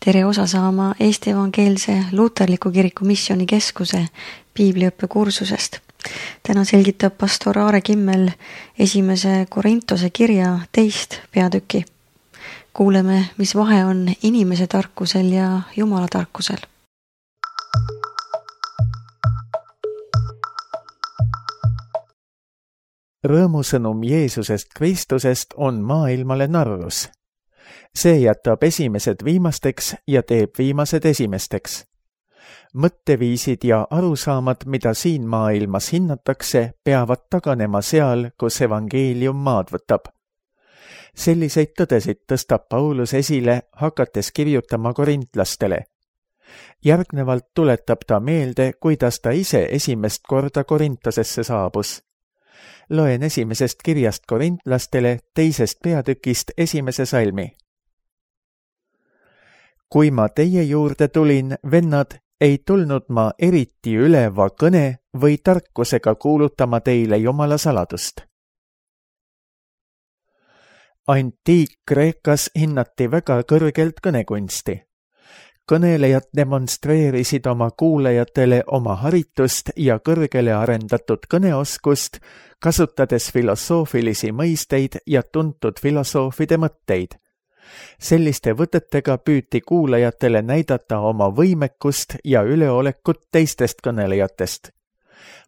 Tere osa saama Eesti Evangeelse Luterliku Kiriku Missioonikeskuse piibliõppe kursusest. Täna selgitab pastor Aare Kimmel 1. Korintose kirja 2. peatüki. Kuuleme, mis vahe on inimese tarkusel ja Jumala tarkusel. Rõõmusõnum Jeesusest Kristusest on maailmale narrus. See jätab esimesed viimasteks ja teeb viimased esimesteks. Mõtteviisid ja arusaamad, mida siin maailmas hinnatakse, peavad taganema seal, kus evangeelium maad võtab. Selliseid tõdesid tõstab Paulus esile, hakates kirjutama korintlastele. Järgnevalt tuletab ta meelde, kuidas ta ise esimest korda Korintosesse saabus. Loen esimesest kirjast korintlastele 2. peatükist 1. salmi. Kui ma teie juurde tulin, vennad, ei tulnud ma eriti üleva kõne või tarkusega kuulutama teile Jumala saladust. Antiik-Kreekas hinnati väga kõrgelt kõnekunsti. Kõnelejad demonstreerisid oma kuulajatele oma haritust ja kõrgele arendatud kõneoskust, kasutades filosoofilisi mõisteid ja tuntud filosoofide mõtteid. Selliste võtetega püüti kuulajatele näidata oma võimekust ja üleolekut teistest kõnelejatest.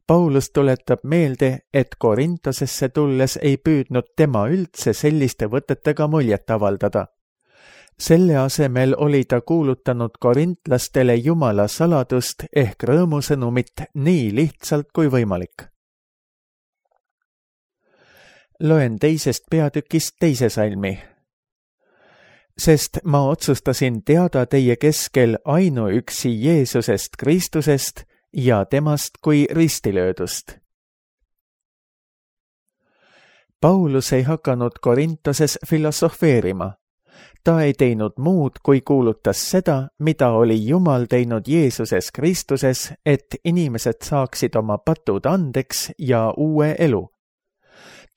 Paulus tuletab meelde, et Korintosesse tulles ei püüdnud tema üldse selliste võtetega muljet avaldada. Selle asemel oli ta kuulutanud korintlastele Jumala saladust ehk rõõmusõnumit nii lihtsalt kui võimalik. Loen 2. peatükist 2. salmi. Sest ma otsustasin teada teie keskel ainuüksi Jeesusest Kristusest ja temast kui ristilöödust. Paulus ei hakanud Korintoses filosofeerima. Ta ei teinud muud, kui kuulutas seda, mida oli Jumal teinud Jeesuses Kristuses, et inimesed saaksid oma patud andeks ja uue elu.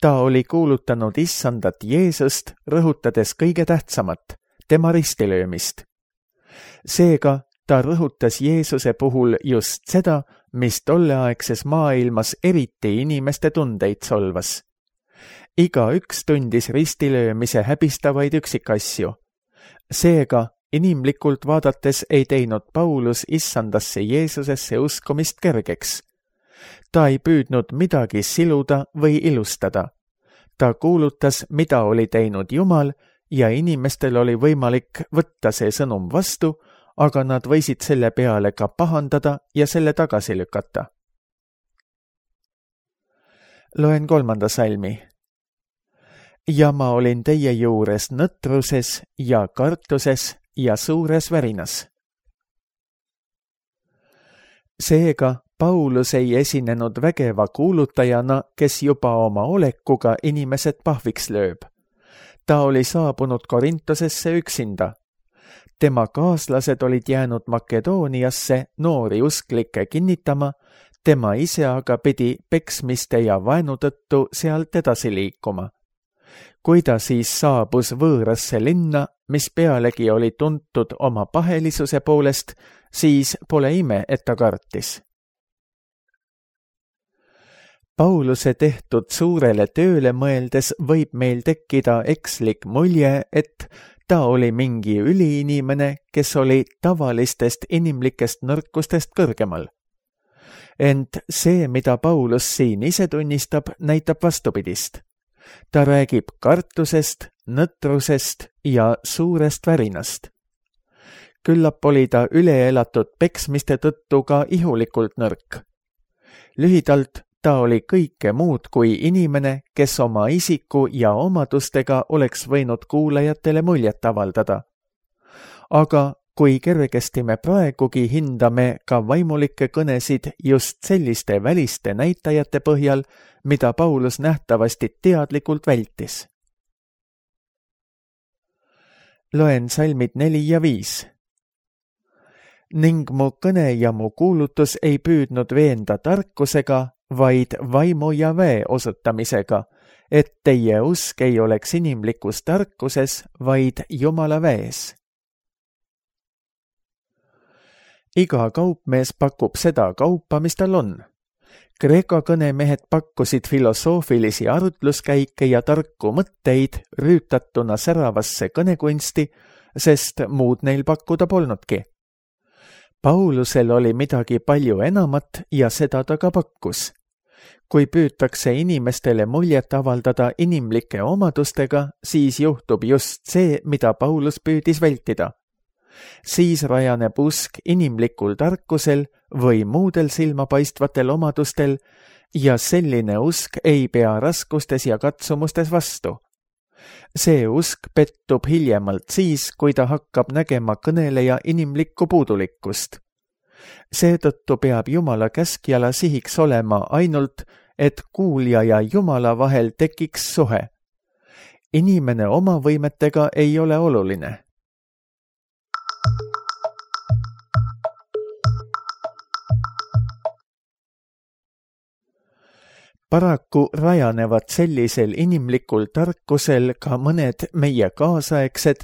Ta oli kuulutanud issandat Jeesust, rõhutades kõige tähtsamat, tema ristilöömist. Seega ta rõhutas Jeesuse puhul just seda, mis tolleaegses maailmas eriti inimeste tundeid solvas. Igaüks tundis ristilöömise häbistavaid üksikasju. Seega, inimlikult vaadates ei teinud Paulus issandasse Jeesusesse uskumist kergeks. Ta ei püüdnud midagi siluda või ilustada. Ta kuulutas, mida oli teinud Jumal ja inimestel oli võimalik võtta see sõnum vastu, aga nad võisid selle peale ka pahandada ja selle tagasi lükata. Loen 3. salmi. Ja ma olin teie juures nõtruses ja kartuses ja suures värinas. Seega, Paulus ei esinenud vägeva kuulutajana, kes juba oma olekuga inimesed pahviks lööb. Ta oli saabunud Korintosesse üksinda. Tema kaaslased olid jäänud Makedooniasse noori usklikke kinnitama, tema ise aga pidi peksmiste ja vaenu tõttu sealt edasi liikuma. Kui ta siis saabus võõrasse linna, mis pealegi oli tuntud oma pahelisuse poolest, siis pole ime, et ta kartis. Pauluse tehtud suurele tööle mõeldes võib meil tekkida ekslik mulje, et ta oli mingi üliinimene, kes oli tavalistest inimlikest nõrkustest kõrgemal. Ent see, mida Paulus siin ise tunnistab, näitab vastupidist. Ta räägib kartusest, nõtrusest ja suurest värinast. Küllap oli ta üleelatud peksmiste tõttu ka ihulikult nõrk. Lühidalt, ta oli kõike muud kui inimene, kes oma isiku ja omadustega oleks võinud kuulajatele muljet avaldada. Aga kui kergesti me praegugi hindame ka vaimulikke kõnesid just selliste väliste näitajate põhjal, mida Paulus nähtavasti teadlikult vältis. Loen salmid 4 ja 5. Ning mu kõne ja mu kuulutus ei püüdnud veenda tarkusega, vaid vaimu ja väe osutamisega, et teie usk ei oleks inimlikus tarkuses, vaid Jumala väes. iga kaupmees pakub seda kaupa, mis tal on. Kreeka kõnemehed pakkusid filosoofilisi arutluskäike ja tarku mõtteid rüütatuna säravasse kõnekunsti, sest muud neil pakkuda polnudki. Paulusel oli midagi palju enamat ja seda ta ka pakkus. Kui püütakse inimestele muljet avaldada inimlike omadustega, siis juhtub just see, mida Paulus püüdis vältida. Siis rajaneb usk inimlikul tarkusel või muudel silmapaistvatel omadustel ja selline usk ei pea raskustes ja katsumustes vastu. See usk pettub hiljemalt siis, kui ta hakkab nägema kõneleja inimlikku puudulikkust. Seetõttu peab Jumala käskjala sihiks olema ainult, et kuulja ja Jumala vahel tekiks suhe. Inimene oma võimetega ei ole oluline. Paraku rajanevad sellisel inimlikul tarkusel ka mõned meie kaasaegsed,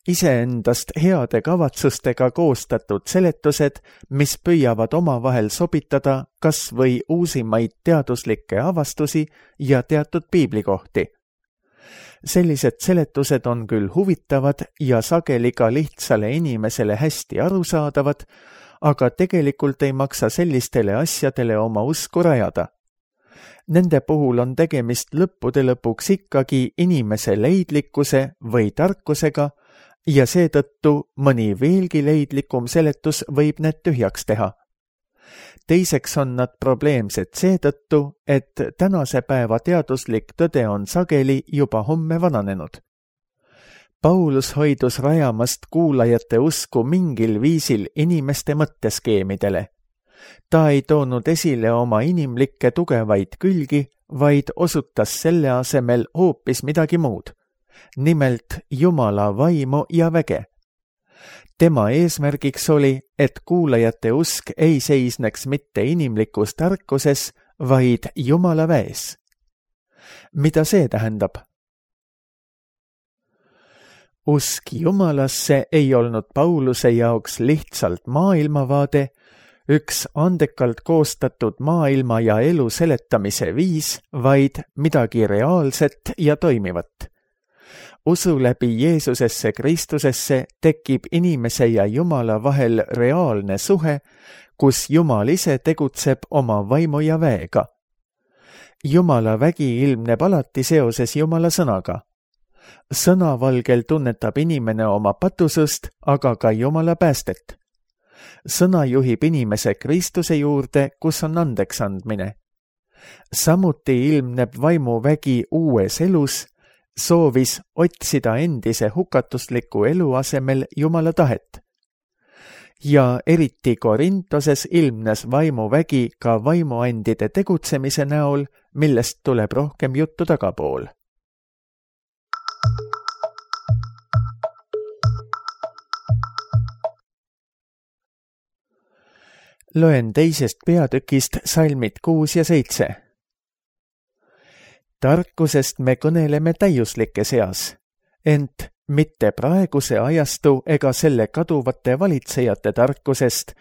iseendast heade kavatsustega koostatud seletused, mis püüavad omavahel sobitada kas või uusimaid teaduslikke avastusi ja teatud piiblikohti. Sellised seletused on küll huvitavad ja sageli ka lihtsale inimesele hästi arusaadavad, aga tegelikult ei maksa sellistele asjadele oma usku rajada. Nende puhul on tegemist lõppude lõpuks ikkagi inimese leidlikkuse või tarkusega ja seetõttu mõni veelgi leidlikum seletus võib need tühjaks teha. Teiseks on nad probleemsed seetõttu, et tänase päeva teaduslik tõde on sageli juba homme vananenud. Paulus hoidus rajamast kuulajate usku mingil viisil inimeste mõtteskeemidele. Ta ei toonud esile oma inimlikke tugevaid külgi, vaid osutas selle asemel hoopis midagi muud, nimelt Jumala vaimu ja väge. Tema eesmärgiks oli, et kuulajate usk ei seisneks mitte inimlikus tarkuses, vaid Jumala väes. Mida see tähendab? Usk Jumalasse ei olnud Pauluse jaoks lihtsalt maailmavaade, üks andekalt koostatud maailma ja elu seletamise viis, vaid midagi reaalset ja toimivat. Usu läbi Jeesusesse Kristusesse tekib inimese ja Jumala vahel reaalne suhe, kus Jumal ise tegutseb oma vaimu ja väega. Jumala vägi ilmneb alati seoses Jumala sõnaga. Sõnavalgel tunnetab inimene oma patusust, aga ka Jumala päästet. Sõna juhib inimese Kristuse juurde, kus on andeks andmine. Samuti ilmneb vaimuvägi uues elus, soovis otsida endise hukatusliku elu asemel Jumala tahet. Ja eriti Korintoses ilmnes vaimuvägi ka vaimuandide tegutsemise näol, millest tuleb rohkem juttu tagapool. Loen teisest peatükist salmid 6 ja 7. Tarkusest me kõneleme täiuslike seas, ent mitte praeguse ajastu ega selle kaduvate valitsejate tarkusest,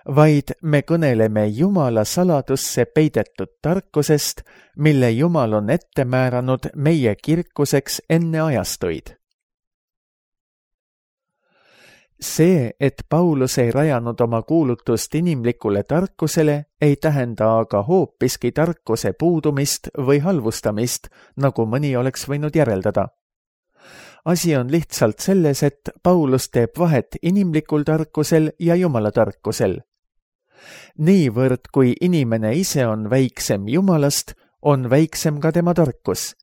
vaid me kõneleme Jumala saladusse peidetud tarkusest, mille Jumal on ette määranud meie kirkuseks enne ajastuid. See, et Paulus ei rajanud oma kuulutust inimlikule tarkusele, ei tähenda aga hoopiski tarkuse puudumist või halvustamist, nagu mõni oleks võinud järeldada. Asi on lihtsalt selles, et Paulus teeb vahet inimlikul tarkusel ja Jumala tarkusel. Niivõrd, kui inimene ise on väiksem Jumalast, on väiksem ka tema tarkus.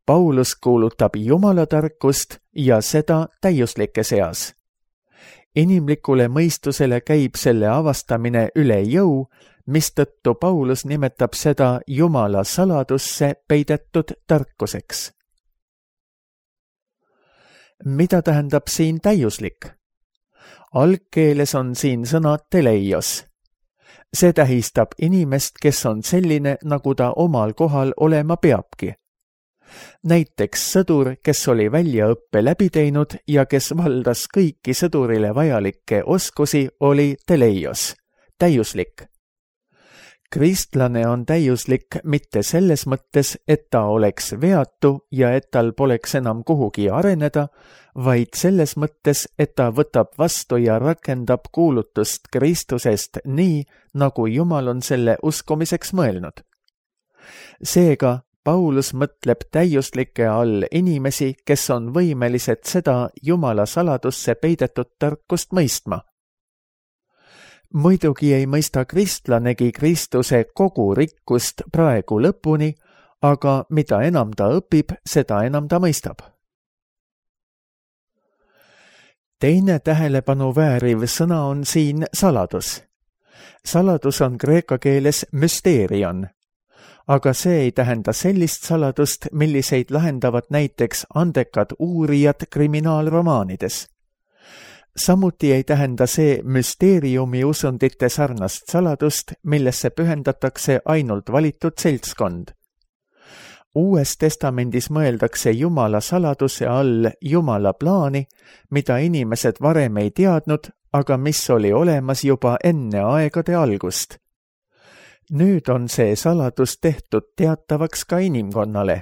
Paulus kuulutab Jumala tarkust ja seda täiuslike seas. Inimlikule mõistusele käib selle avastamine üle jõu, mistõttu Paulus nimetab seda Jumala saladusse peidetud tarkuseks. Mida tähendab siin täiuslik? Algkeeles on siin sõna teleios. See tähistab inimest, kes on selline, nagu ta omal kohal olema peabki. Näiteks sõdur, kes oli väljaõppe läbi teinud ja kes valdas kõiki sõdurile vajalikke oskusi, oli teleios, täiuslik. Kristlane on täiuslik mitte selles mõttes, et ta oleks veatu ja et tal poleks enam kuhugi areneda, vaid selles mõttes, et ta võtab vastu ja rakendab kuulutust Kristusest nii, nagu Jumal on selle uskumiseks mõelnud. Seega, Paulus mõtleb täiuslike all inimesi, kes on võimelised seda Jumala saladusse peidetud tarkust mõistma. Muidugi ei mõista kristlanegi Kristuse kogu rikkust praegu lõpuni, aga mida enam ta õpib, seda enam ta mõistab. Teine tähelepanu vääriv sõna on siin saladus. Saladus on kreeka keeles müsteerion, aga see ei tähenda sellist saladust, milliseid lahendavad näiteks andekad uurijad kriminaalromaanides. Samuti ei tähenda see müsteeriumi usundite sarnast saladust, millesse pühendatakse ainult valitud seltskond. Uues testamendis mõeldakse Jumala saladuse all Jumala plaani, mida inimesed varem ei teadnud, aga mis oli olemas juba enne aegade algust. Nüüd on see saladus tehtud teatavaks ka inimkonnale.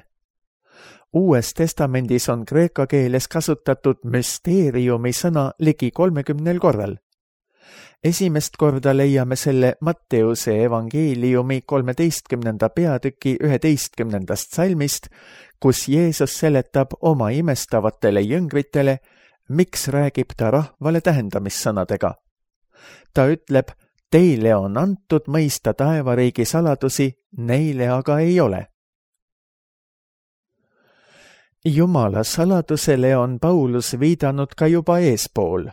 Uues testamendis on kreeka keeles kasutatud müsteeriumi sõna ligi 30 korral. Esimest korda leiame selle Matteuse evangeeliumi 13. peatüki 11. salmist, kus Jeesus seletab oma imestavatele jüngritele, miks räägib ta rahvale tähendamissõnadega. Ta ütleb, teile on antud mõista taevariigi saladusi, neile aga ei ole. Jumala saladusele on Paulus viidanud ka juba eespool.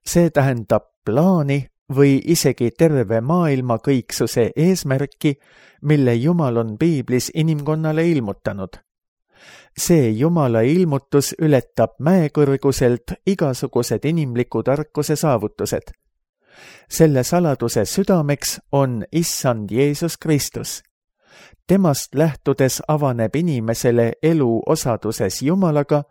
See tähendab plaani või isegi terve maailma kõiksuse eesmärki, mille Jumal on piiblis inimkonnale ilmutanud. See Jumala ilmutus ületab mäekõrguselt igasugused inimliku tarkuse saavutused. Selle saladuse südameks on Issand Jeesus Kristus. Temast lähtudes avaneb inimesele elu osaduses Jumalaga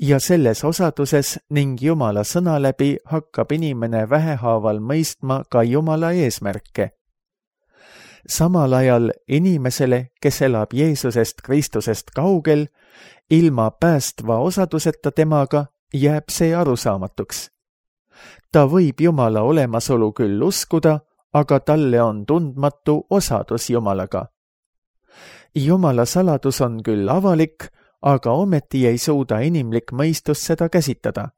ja selles osaduses ning Jumala sõna läbi hakkab inimene vähehaaval mõistma ka Jumala eesmärke. Samal ajal inimesele, kes elab Jeesusest Kristusest kaugel, ilma päästva osaduseta temaga, jääb see arusaamatuks. Ta võib Jumala olemasolu küll uskuda, aga talle on tundmatu osadus Jumalaga. Jumala saladus on küll avalik, aga ometi ei suuda inimlik mõistus seda käsitada.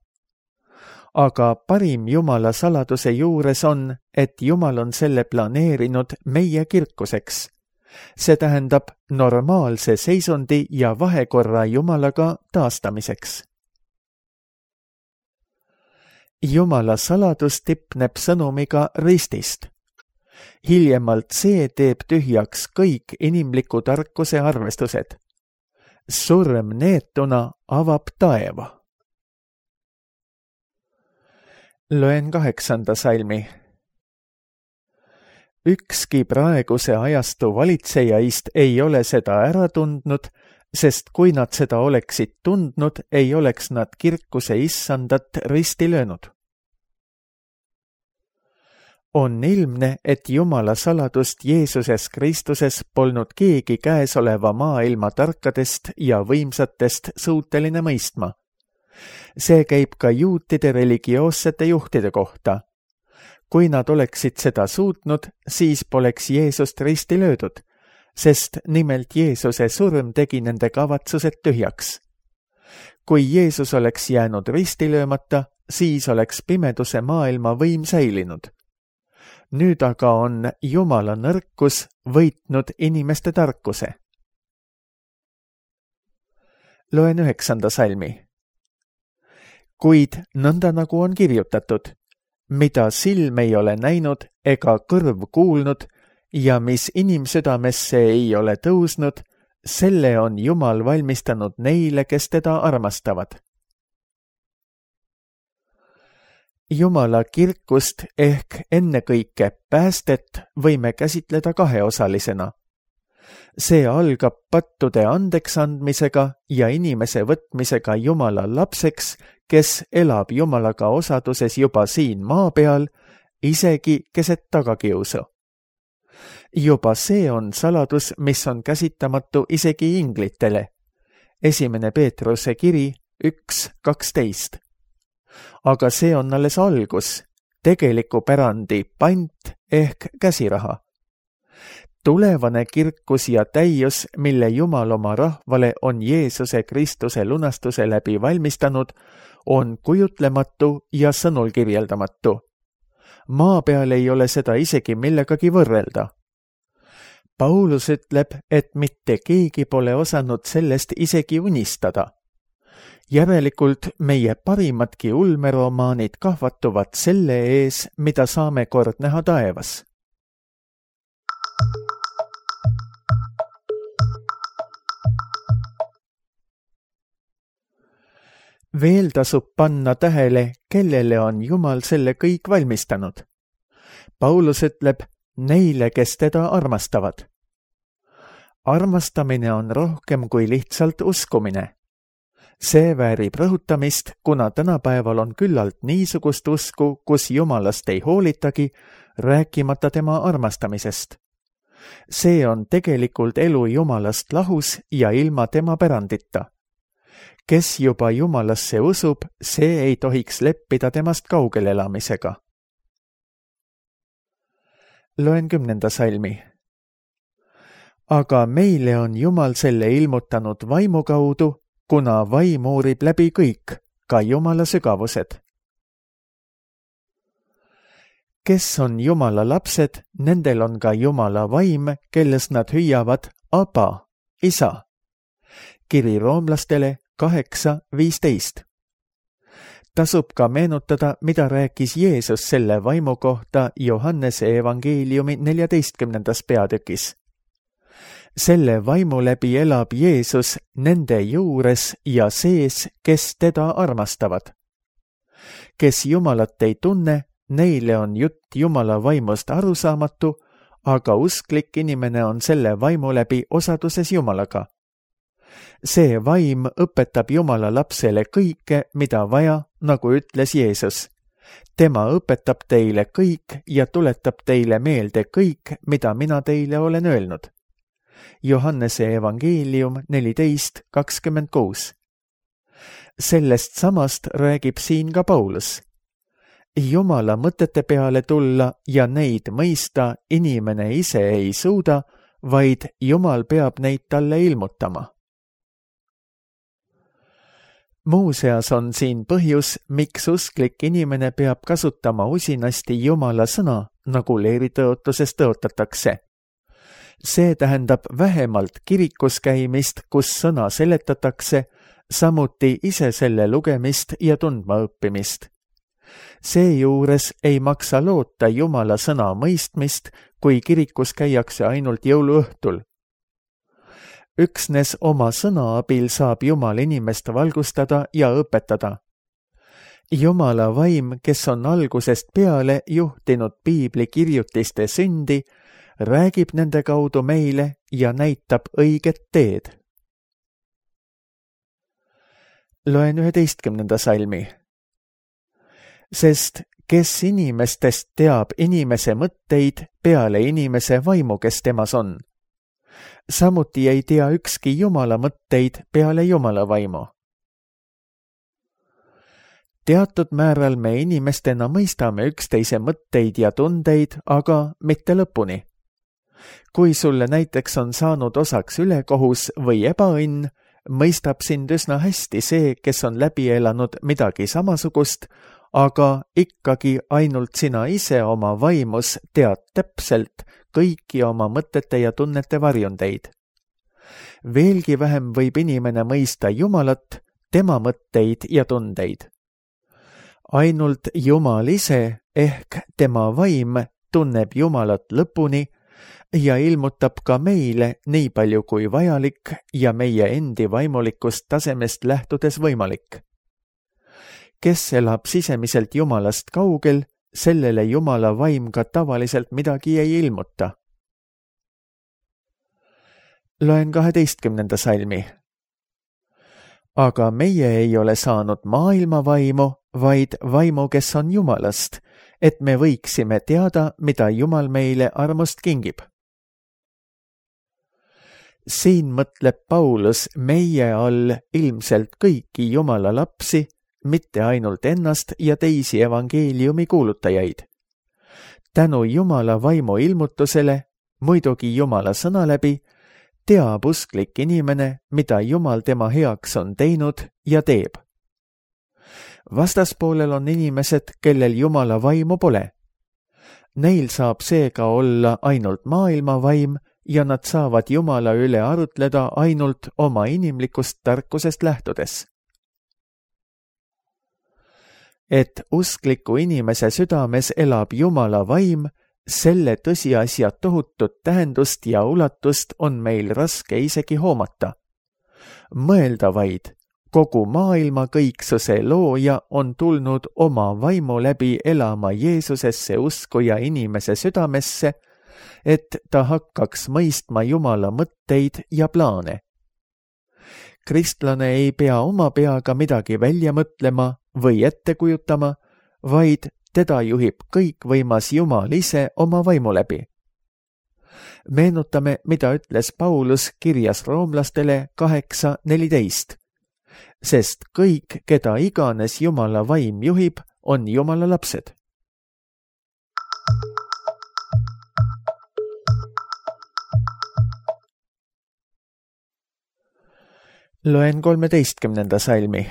Aga parim Jumala saladuse juures on, et Jumal on selle planeerinud meie kirkuseks. See tähendab normaalse seisundi ja vahekorra Jumalaga taastamiseks. Jumala saladus tipneb sõnumiga ristist. Hiljemalt see teeb tühjaks kõik inimliku tarkuse arvestused. Surm neetuna avab taeva. Loen 8. salmi. Ükski praeguse ajastu valitsejaist ei ole seda ära tundnud, sest kui nad seda oleksid tundnud, ei oleks nad kirkuse issandat risti löönud. On ilmne, et Jumala saladust Jeesuses Kristuses polnud keegi käesoleva maailma tarkadest ja võimsatest suuteline mõistma. See käib ka juutide religioossete juhtide kohta. Kui nad oleksid seda suutnud, siis poleks Jeesust risti löödud, sest nimelt Jeesuse surm tegi nende kavatsused tühjaks. Kui Jeesus oleks jäänud risti löömata, siis oleks pimeduse maailma võim säilinud. Nüüd aga on Jumala nõrkus võitnud inimeste tarkuse. Loen 9. salmi. Kuid nõnda nagu on kirjutatud, mida silm ei ole näinud ega kõrv kuulnud ja mis inimsüdamesse ei ole tõusnud, selle on Jumal valmistanud neile, kes teda armastavad. Jumala kirkust ehk ennekõike päästet võime käsitleda kaheosalisena. See algab pattude andeks andmisega ja inimese võtmisega Jumala lapseks, kes elab Jumalaga osaduses juba siin maa peal, isegi keset tagakiusu. Juba see on saladus, mis on käsitamatu isegi inglitele. 1. Peetruse kiri 1:12. Aga see on alles algus, tegeliku pärandi pant ehk käsiraha. Tulevane kirkus ja täius, mille Jumal oma rahvale on Jeesuse Kristuse lunastuse läbi valmistanud, on kujutlematu ja sõnul kirjeldamatu. Maa peal ei ole seda isegi millegagi võrrelda. Paulus ütleb, et mitte keegi pole osanud sellest isegi unistada. Järelikult meie parimadki ulmeromaanid kahvatuvad selle ees, mida saame kord näha taevas. Veel tasub panna tähele, kellele on Jumal selle kõik valmistanud. Paulus ütleb, neile, kes teda armastavad. Armastamine on rohkem kui lihtsalt uskumine. See väärib rõhutamist, kuna tänapäeval on küllalt niisugust usku, kus Jumalast ei hoolitagi, rääkimata tema armastamisest. See on tegelikult elu Jumalast lahus ja ilma tema pärandita. Kes juba Jumalasse usub, see ei tohiks leppida temast kaugel elamisega. Loen 10. salmi. Aga meile on Jumal selle ilmutanud vaimu kaudu, kuna vaim uurib läbi kõik, ka Jumala sügavused. Kes on Jumala lapsed, nendel on ka Jumala vaim, kelles nad hüüavad Aba, isa. Kiri roomlastele 8:15. Tasub ka meenutada, mida rääkis Jeesus selle vaimu kohta Johannese evangeeliumi 14. peatükis. Selle vaimu läbi elab Jeesus nende juures ja sees, kes teda armastavad. Kes Jumalat ei tunne, neile on jutt Jumala vaimust arusaamatu, aga usklik inimene on selle vaimu läbi osaduses Jumalaga. See vaim õpetab Jumala lapsele kõike, mida vaja, nagu ütles Jeesus. Tema õpetab teile kõik ja tuletab teile meelde kõik, mida mina teile olen öelnud. Johannese evangeelium 14:26. Sellest samast räägib siin ka Paulus. Jumala mõtete peale tulla ja neid mõista inimene ise ei suuda, vaid Jumal peab neid talle ilmutama. Muuseas on siin põhjus, miks usklik inimene peab kasutama usinasti Jumala sõna, nagu leeritõotuses tõotatakse. See tähendab vähemalt kirikus käimist, kus sõna seletatakse, samuti ise selle lugemist ja tundma õppimist. Seejuures ei maksa loota Jumala sõna mõistmist, kui kirikus käiakse ainult jõuluõhtul. Üksnes oma sõna abil saab Jumal inimest valgustada ja õpetada. Jumala vaim, kes on algusest peale juhtinud piibli kirjutiste sündi, räägib nende kaudu meile ja näitab õiget teed. Loen 11. salmi. Sest kes inimestest teab inimese mõtteid peale inimese vaimu, kes temas on? Samuti ei tea ükski Jumala mõtteid peale Jumala vaimu. Teatud määral me inimestena mõistame üksteise mõtteid ja tundeid, aga mitte lõpuni. Kui sulle näiteks on saanud osaks ülekohus või ebaõnn, mõistab sind üsna hästi see, kes on läbi elanud midagi samasugust, aga ikkagi ainult sina ise oma vaimus tead täpselt kõiki oma mõtete ja tunnete varjundeid. Veelgi vähem võib inimene mõista Jumalat, tema mõtteid ja tundeid. Ainult Jumal ise ehk tema vaim tunneb Jumalat lõpuni ja ilmutab ka meile nii palju kui vajalik ja meie endi vaimulikust tasemest lähtudes võimalik. Kes elab sisemiselt Jumalast kaugel, sellele Jumala vaim ka tavaliselt midagi ei ilmuta. Loen 12. salmi. Aga meie ei ole saanud maailma vaimu, vaid vaimu, kes on Jumalast, et me võiksime teada, mida Jumal meile armust kingib. Siin mõtleb Paulus meie all ilmselt kõiki Jumala lapsi, mitte ainult ennast ja teisi evangeeliumi kuulutajaid. Tänu Jumala vaimu ilmutusele, muidugi Jumala sõna läbi, teab usklik inimene, mida Jumal tema heaks on teinud ja teeb. Vastaspoolel on inimesed, kellel Jumala vaimu pole. Neil saab seega olla ainult maailma vaim ja nad saavad Jumala üle arutleda ainult oma inimlikust tarkusest lähtudes. Et uskliku inimese südames elab Jumala vaim, selle tõsiasja tohutut tähendust ja ulatust on meil raske isegi hoomata. Mõelda vaid, kogu maailma kõiksuse looja on tulnud oma vaimu läbi elama Jeesusesse uskuja inimese südamesse, et ta hakkaks mõistma Jumala mõtteid ja plaane. Kristlane ei pea oma peaga midagi välja mõtlema või ette kujutama, vaid teda juhib kõikvõimas Jumal ise oma vaimu läbi. Meenutame, mida ütles Paulus kirjas roomlastele 8:14. Sest kõik, keda iganes Jumala vaim juhib, on Jumala lapsed. Loen 13. salmi.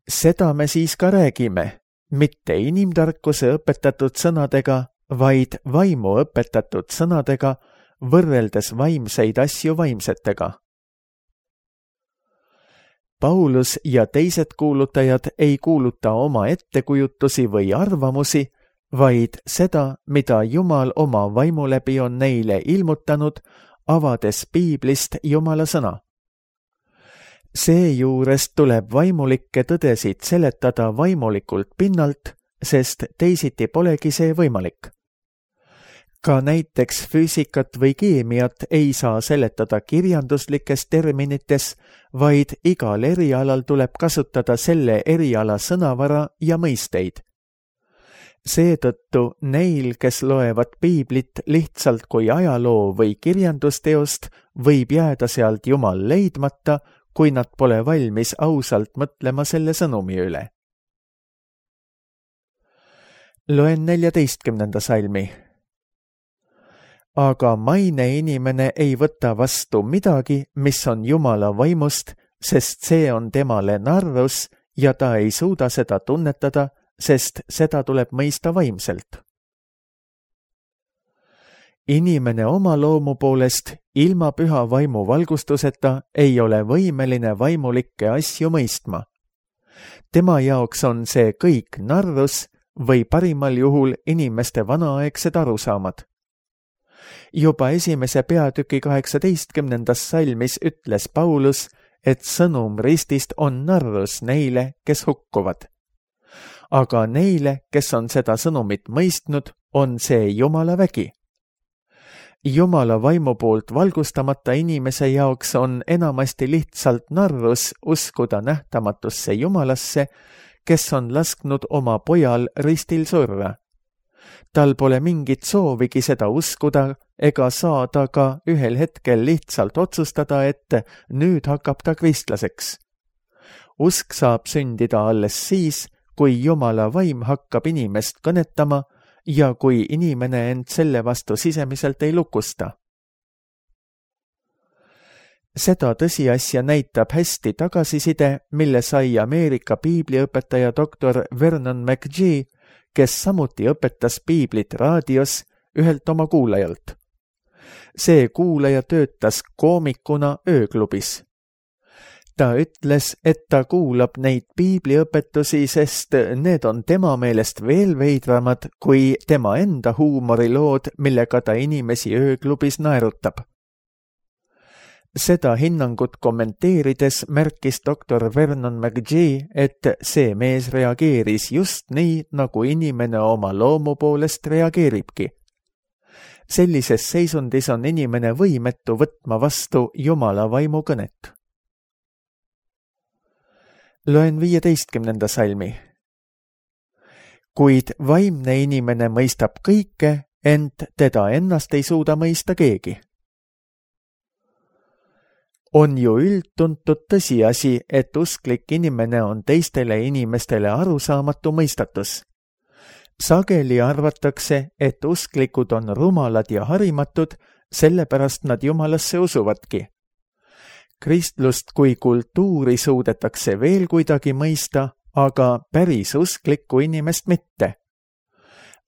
Seda me siis ka räägime, mitte inimtarkuse õpetatud sõnadega, vaid vaimu õpetatud sõnadega, võrreldes vaimseid asju vaimsetega. Paulus ja teised kuulutajad ei kuuluta oma ettekujutusi või arvamusi, vaid seda, mida Jumal oma vaimu läbi on neile ilmutanud, avades piiblist Jumala sõna. Seejuures tuleb vaimulikke tõdesid seletada vaimulikult pinnalt, sest teisiti polegi see võimalik. Ka näiteks füüsikat või keemiat ei saa seletada kirjanduslikes terminites, vaid igal erialal tuleb kasutada selle eriala sõnavara ja mõisteid. Seetõttu neil, kes loevad piiblit lihtsalt kui ajaloo või kirjandusteost, võib jääda sealt Jumal leidmata, kui nad pole valmis ausalt mõtlema selle sõnumi üle. Loen 14. salmi. Aga maine inimene ei võta vastu midagi, mis on Jumala vaimust, sest see on temale narrus ja ta ei suuda seda tunnetada, sest seda tuleb mõista vaimselt. Inimene oma loomu poolest ilma püha vaimu valgustuseta ei ole võimeline vaimulikke asju mõistma. Tema jaoks on see kõik narrus või parimal juhul inimeste vanaaegsed arusaamad. Juba 1. peatüki 18. salmis ütles Paulus, et sõnum ristist on narrus neile, kes hukkuvad. Aga neile, kes on seda sõnumit mõistnud, on see Jumala vägi. Jumala vaimu poolt valgustamata inimese jaoks on enamasti lihtsalt narrus uskuda nähtamatusse Jumalasse, kes on lasknud oma pojal ristil surra. Tal pole mingit soovigi seda uskuda ega saada ka ühel hetkel lihtsalt otsustada, et nüüd hakkab ta kristlaseks. Usk saab sündida alles siis, kui Jumala vaim hakkab inimest kõnetama ja kui inimene end selle vastu sisemiselt ei lukusta. Seda tõsiasja näitab hästi tagasiside, mille sai Ameerika piibliõpetaja doktor Vernon McGee, kes samuti õpetas piiblit raadios ühelt oma kuulajalt. See kuulaja töötas koomikuna ööklubis. Ta ütles, et ta kuulab neid piibliõpetusi, sest need on tema meelest veel veidramad kui tema enda huumorilood, millega ta inimesi ööklubis naerutab. Seda hinnangut kommenteerides märkis doktor Vernon McGee, et see mees reageeris just nii, nagu inimene oma loomu poolest reageeribki. Sellises seisundis on inimene võimetu võtma vastu Jumala vaimu kõnet. Loen 15. salmi. Kuid vaimne inimene mõistab kõike, ent teda ennast ei suuda mõista keegi. On ju üldtuntud tõsiasi, et usklik inimene on teistele inimestele arusaamatu mõistatus. Sageli arvatakse, et usklikud on rumalad ja harimatud, sellepärast nad Jumalasse usuvadki. Kristlust kui kultuuri suudetakse veel kuidagi mõista, aga päris usklikku inimest mitte.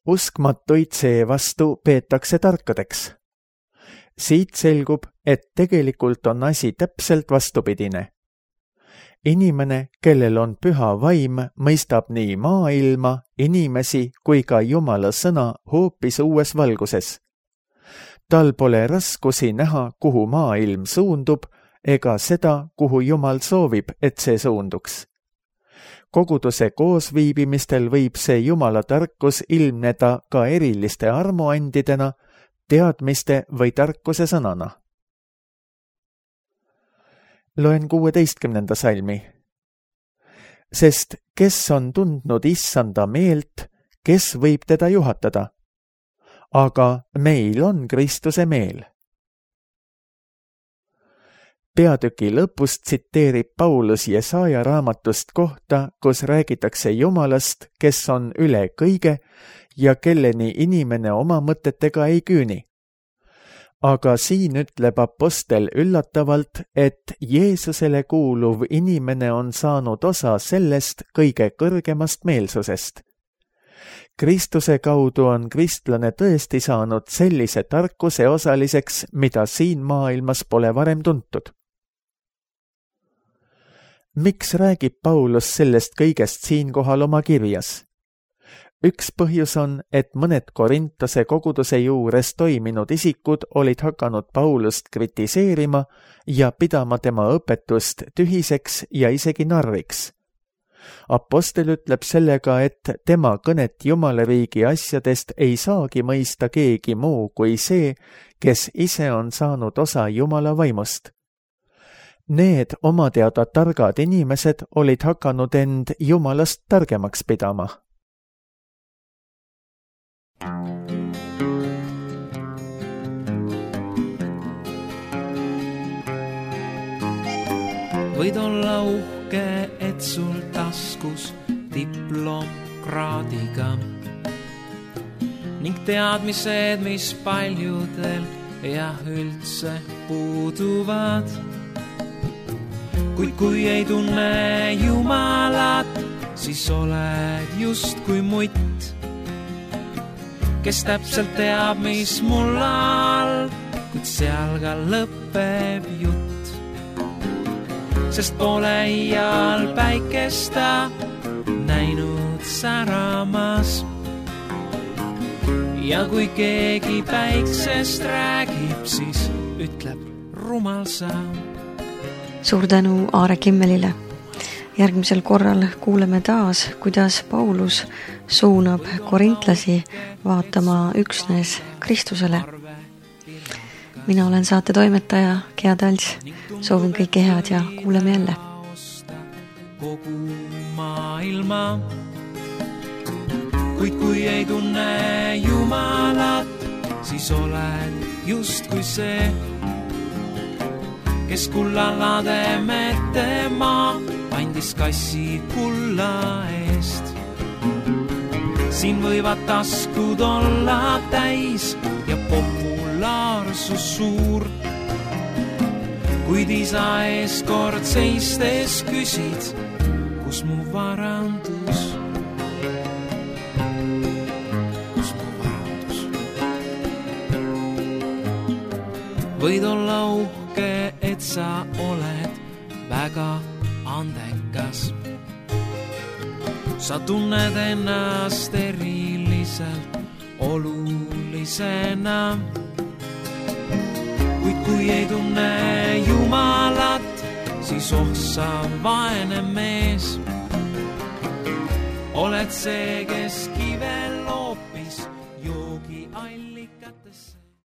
Uskmatuid seevastu peetakse tarkadeks. Siit selgub, et tegelikult on asi täpselt vastupidine. Inimene, kellel on püha vaim, mõistab nii maailma, inimesi kui ka Jumala sõna hoopis uues valguses. Tal pole raskusi näha, kuhu maailm suundub, ega seda, kuhu Jumal soovib, et see suunduks. Koguduse koosviibimistel võib see Jumala tarkus ilmneda ka eriliste armuandidena, teadmiste või tarkuse sõnana. Loen 16. salmi. Sest kes on tundnud issanda meelt, kes võib teda juhatada? Aga meil on Kristuse meel. Peatüki lõpust tsiteerib Paulus Jesaja raamatust kohta, kus räägitakse Jumalast, kes on üle kõige ja kelleni inimene oma mõtetega ei küüni. Aga siin ütleb apostel üllatavalt, et Jeesusele kuuluv inimene on saanud osa sellest kõige kõrgemast meelsusest. Kristuse kaudu on kristlane tõesti saanud sellise tarkuse osaliseks, mida siin maailmas pole varem tuntud. Miks räägib Paulus sellest kõigest siinkohal oma kirjas? Üks põhjus on, et mõned Korintose koguduse juures toiminud isikud olid hakanud Paulust kritiseerima ja pidama tema õpetust tühiseks ja isegi narriks. Apostel ütleb sellega, et tema kõnet Jumalariigi asjadest ei saagi mõista keegi muu kui see, kes ise on saanud osa Jumala vaimust. Need oma teada targad inimesed olid hakanud end Jumalast targemaks pidama. Võid olla uhke, et sul taskus diplomkraadiga ning teadmised, mis paljudel ja üldse puuduvad. Kuid kui ei tunne Jumalat, siis oled just kui mutt, kes täpselt teab, mis mul all, kuid seal ka lõpeb jutt. Sest pole iial päikesta näinud säramas. Ja kui keegi päiksest räägib, siis ütleb rumal sa. Suur tänu Aare Kimmelile. Järgmisel korral kuuleme taas, kuidas Paulus suunab korintlasi vaatama üksnes Kristusele. Mina olen saate toimetaja Gea Tals. Soovin kõike head ja kuuleme jälle. Kogu maailma, kuid kui ei tunne Jumalat, siis oled just kui see, kes kullalade metema andis kassid kulla eest. Siin võivad taskud olla täis ja populaarsus suur, kuid isa ees kord seistes küsid, kus mu varandus? Kus mu varandus? Võid olla uhke, et sa oled väga andekas. Sa tunned ennast eriliselt olulisena. Kuid kui ei tunne Jumalat, siis sa vaene mees. Oled see, kes kive loopis joogi allikatesse.